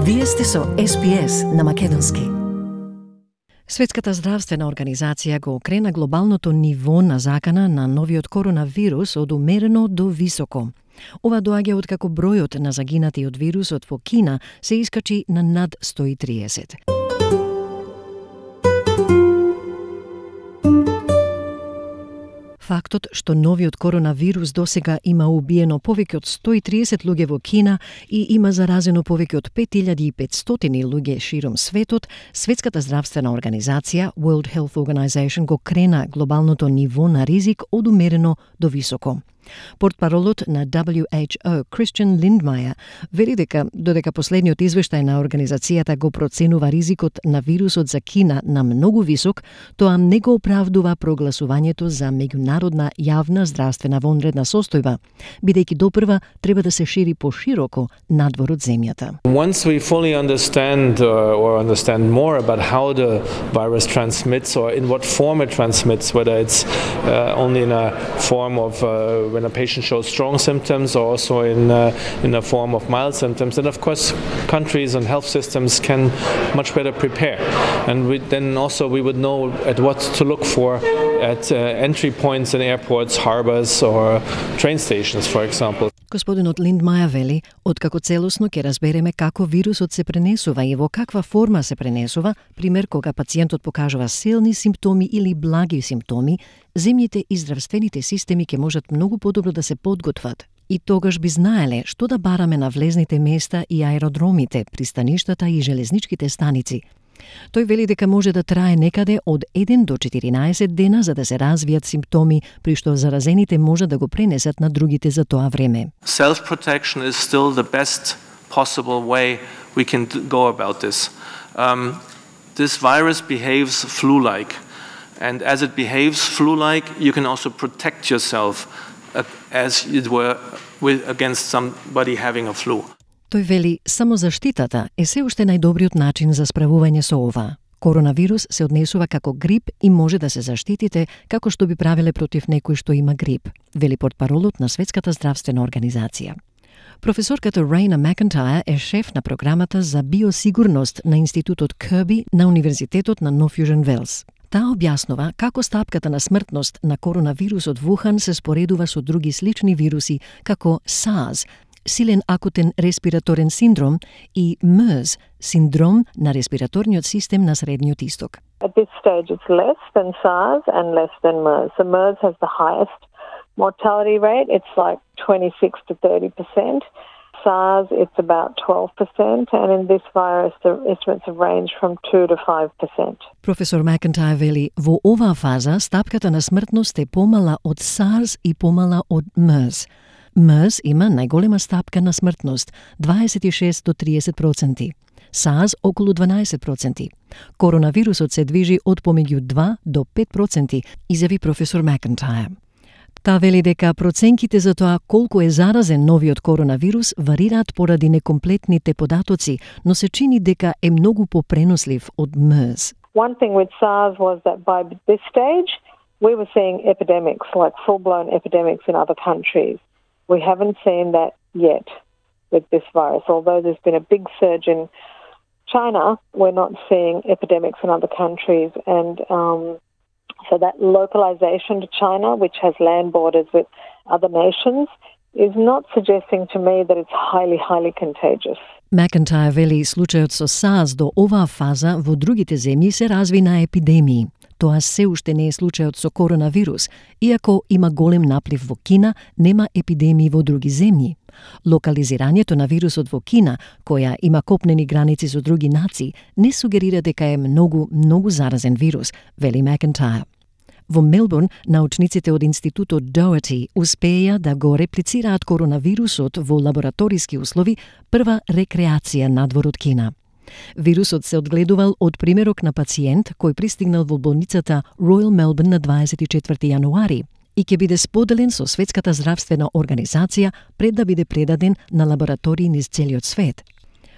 Вие сте со SPS на македонски. Светската здравствена организација го окрена глобалното ниво на закана на новиот коронавирус од умерено до високо. Ова доаѓа откако бројот на загинати од вирусот во Кина се искачи на над 130. Фактот што новиот коронавирус досега има убиено повеќе од 130 луѓе во Кина и има заразено повеќе од 5500 луѓе широм светот, Светската здравствена организација World Health Organization го крена глобалното ниво на ризик од умерено до високо. Портпаролот на WHO, Christian Lindmeier, вели дека додека последниот извештај на организацијата го проценува ризикот на вирусот за Кина на многу висок, тоа не го оправдува прогласувањето за меѓународна јавна здравствена вонредна состојба, бидејќи допрва треба да се шири пошироко надвор од земјата. Once we fully understand more about how the virus transmits or in what form it transmits, whether it's only in a form of when a patient shows strong symptoms or also in a form of mild symptoms, then of course countries and health systems can much better prepare. And we would know at what to look for at entry points in airports, harbors or train stations, for example. Господинот Линдмајер вели, откако целосно ќе разбереме како вирусот се пренесува и во каква форма се пренесува, пример кога пациентот покажува силни симптоми или благи симптоми, земјите и здравствените системи ќе можат многу подобро да се подготват. И тогаш би знаеле што да бараме на влезните места и аеродромите, пристаништата и железничките станици. Тој вели дека може да трае некаде од 1 до 14 дена за да се развијат симптоми, при што заразените може да го пренесат на другите за тоа време. Self-protection is still the best possible way we can go about this. This virus behaves flu-like, and as it behaves flu-like, you can also protect yourself as it were against somebody having a flu. Тој вели, самозаштитата е се уште најдобриот начин за справување со ова. Коронавирус се однесува како грип и може да се заштитите како што би правиле против некој што има грип, вели портпаролот на Светската здравствена организација. Професорката Рейна Макентајр е шеф на програмата за биосигурност на Институтот Кирби на Универзитетот на Нов Јужен Велс. Таа објаснува како стапката на смртност на коронавирусот Вухан се споредува со други слични вируси како SARS, силен акутен респираторен синдром, и MERS, синдром на респираторниот систем на Средниот Исток. At this stage it's less than SARS and less than MERS. So MERS has the highest mortality rate. It's like 26 to 30%. SARS, it's about 12%, and in this virus the estimates have ranged from 2 to 5%. Професор Макентајр вели, во оваа фаза стапката на смртност е помала од SARS и помала од MERS. MERS има најголема стапка на смртност, 26 до 30%. SARS околу 12%. Коронавирусот се движи од помеѓу 2 до 5%, изјави професор Макентајр. Та вели дека проценките за тоа колку е заразен новиот коронавирус варираат поради некомплетните податоци, но се чини дека е многу попренослив од MERS. One thing with SARS was that by this stage we were seeing epidemics, like full-blown epidemics in other countries. We haven't seen that yet with this virus. Although there's been a big surge in China, we're not seeing epidemics in other countries. And so that localization to China, which has land borders with other nations, is not suggesting to me that it's highly, highly contagious. Макентајр вели случајот со SARS до оваа фаза во другите земји се разви на епидемии. Тоа се уште не е случајот со коронавирус, иако има голем наплив во Кина, нема епидемии во други земји. Локализирањето на вирусот во Кина, која има копнени граници со други нации, не сугерира дека е многу заразен вирус, вели Макентајр. Во Мелбурн, научниците од Институтот Doherty успеја да го реплицираат коронавирусот во лабораториски услови, прва рекреација надвор од Кина. Вирусот се одгледувал од примерок на пациент кој пристигнал во болницата Royal Melbourne на 24 јануари и ќе биде споделен со Светската здравствена организација пред да биде предаден на лаборатории низ целиот свет.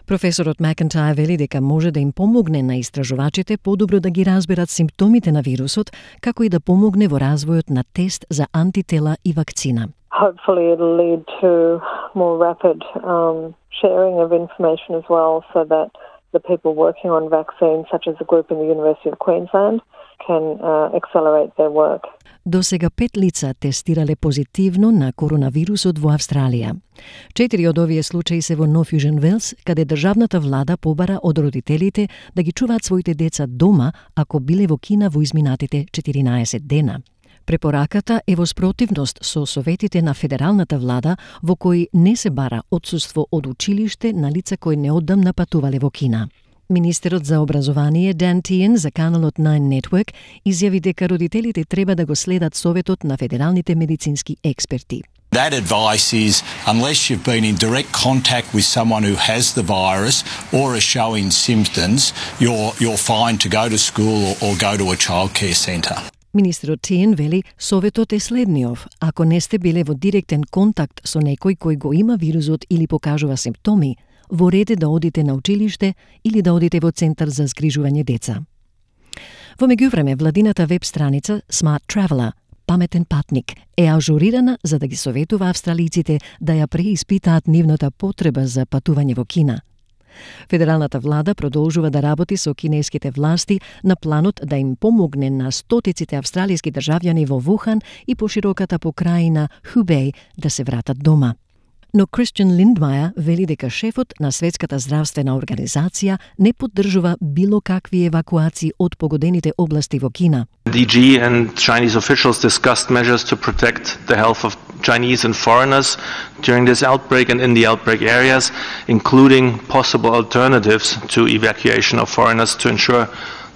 Професорот Макентајр вели дека може да им помогне на истражувачите подобро да ги разберат симптомите на вирусот, како и да помогне во развојот на тест за антитела и вакцина. Hopefully it'll lead to more rapid sharing of information as well, so that the people working on vaccines, such as the group in the University of Queensland, can accelerate their work. До сега 5 лица тестирале позитивно на коронавирусот во Австралија. 4 од овие случаи се во Нов Јужен Велс, каде државната влада побара од родителите да ги чуваат своите деца дома ако биле во Кина во изминатите 14 дена. Препораката е во спротивност со советите на федералната влада, во кои не се бара отсуство од училиште на лица кои неодамна патувале во Кина. Министерот за образование Дан Тиен за каналот Nine Network изјави дека родителите треба да го следат советот на федералните медицински експерти. That advice is, unless you've been in direct contact with someone who has the virus or is showing symptoms, you're fine to go to school or go to a childcare centre. Министерот Тиен вели советот е следниов: ако не сте биле во директен контакт со некој кој го има вирусот или покажува симптоми, во ред е да одите на училиште или да одите во центар за згрижување деца. Во меѓувреме, владината веб страница Smart Traveller, паметен патник, е ажурирана за да ги советува австралиците да ја преиспитаат нивната потреба за патување во Кина. Федералната влада продолжува да работи со кинеските власти на планот да им помогне на стотиците австралиски државјани во Вухан и пошироката покрајина Хубеј да се вратат дома. Но Кристијан Линдмајер вели дека шефот на Светската здравствена организација не поддржува било какви евакуации од погодените области во Кина. DG and Chinese officials discussed measures to protect the health of Chinese and foreigners during this outbreak and in the outbreak areas, including possible alternatives to evacuation of foreigners to ensure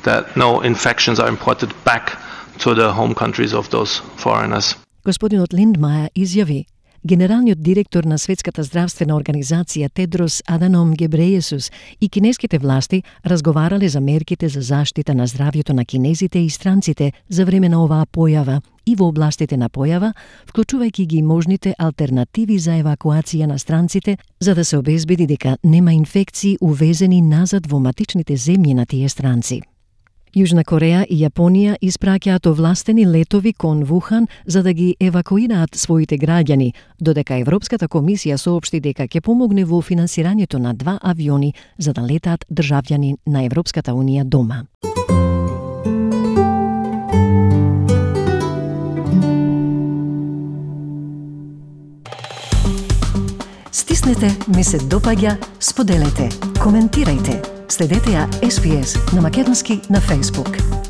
that no infections are imported back to the home countries of those foreigners. Господинот Линдмајер изјави: генералниот директор на Светската здравствена организација Тедрос Аданом Гебрејесус и кинеските власти разговарале за мерките за заштита на здравјето на кинезите и странците за време на оваа појава и во областите на појава, вклучувајќи ги можните алтернативи за евакуација на странците, за да се обезбеди дека нема инфекции увезени назад во матичните земји на тие странци. Јужна Кореја и Јапонија испраќаат овластени летови кон Вухан за да ги евакуираат своите граѓани, додека Европската комисија соопшти дека ќе помогне во финансирањето на 2 авиони за да летаат државјани на Европската унија дома. Стиснете, ми се допаѓа, споделете, коментирајте. Следете ја SPS на Македонски на Facebook.